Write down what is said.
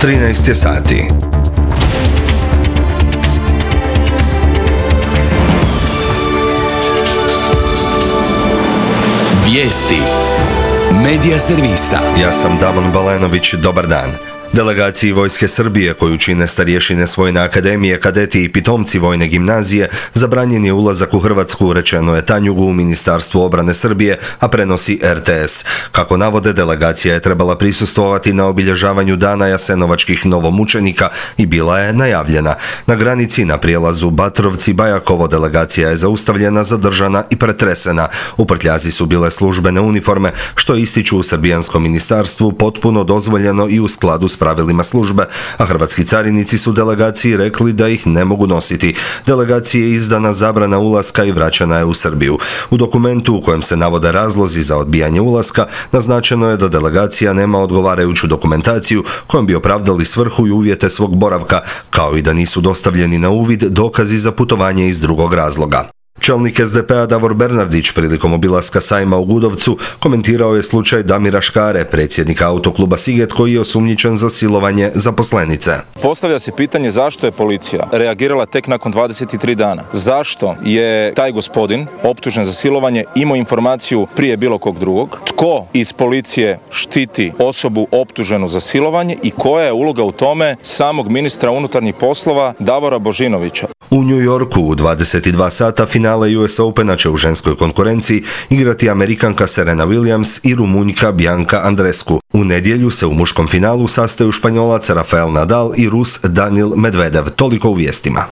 13 je sati. Vijesti Medija servisa. Ja sam Damon Balenović, dobar dan. Delegaciji Vojske Srbije, koju čine starješine Vojne akademije, kadeti i pitomci Vojne gimnazije, zabranjen je ulazak u Hrvatsku, rečeno je Tanjugu u Ministarstvu obrane Srbije, a prenosi RTS. Kako navode, delegacija je trebala prisustvovati na obilježavanju dana jasenovačkih novomučenika i bila je najavljena. Na granici na prijelazu Batrovci-Bajakovo delegacija je zaustavljena, zadržana i pretresena. U prtljazi su bile službene uniforme, što ističu u srbijanskom ministarstvu potpuno dozvoljeno i u skladu s pravilima službe, a hrvatski carinici su delegaciji rekli da ih ne mogu nositi. Delegaciji je izdana zabrana ulaska i vraćana je u Srbiju. U dokumentu u kojem se navode razlozi za odbijanje ulaska, naznačeno je da delegacija nema odgovarajuću dokumentaciju kojom bi opravdali svrhu i uvjete svog boravka, kao i da nisu dostavljeni na uvid dokazi za putovanje iz drugog razloga. Čelnik SDP-a Davor Bernardić prilikom obilaska sajma u Gudovcu komentirao je slučaj Damira Škare, predsjednika autokluba Siget, koji je osumnjičen za silovanje zaposlenice. Postavlja se pitanje zašto je policija reagirala tek nakon 23 dana. Zašto je taj gospodin optužen za silovanje imao informaciju prije bilo kog drugog? Tko iz policije štiti osobu optuženu za silovanje i koja je uloga u tome samog ministra unutarnjih poslova Davora Božinovića? U New Yorku u 22 sata finale US Opena će u ženskoj konkurenciji igrati Amerikanka Serena Williams i Rumunjka Bianca Andreescu. U nedjelju se u muškom finalu sastaju Španjolac Rafael Nadal i Rus Daniil Medvedev. Toliko u vijestima.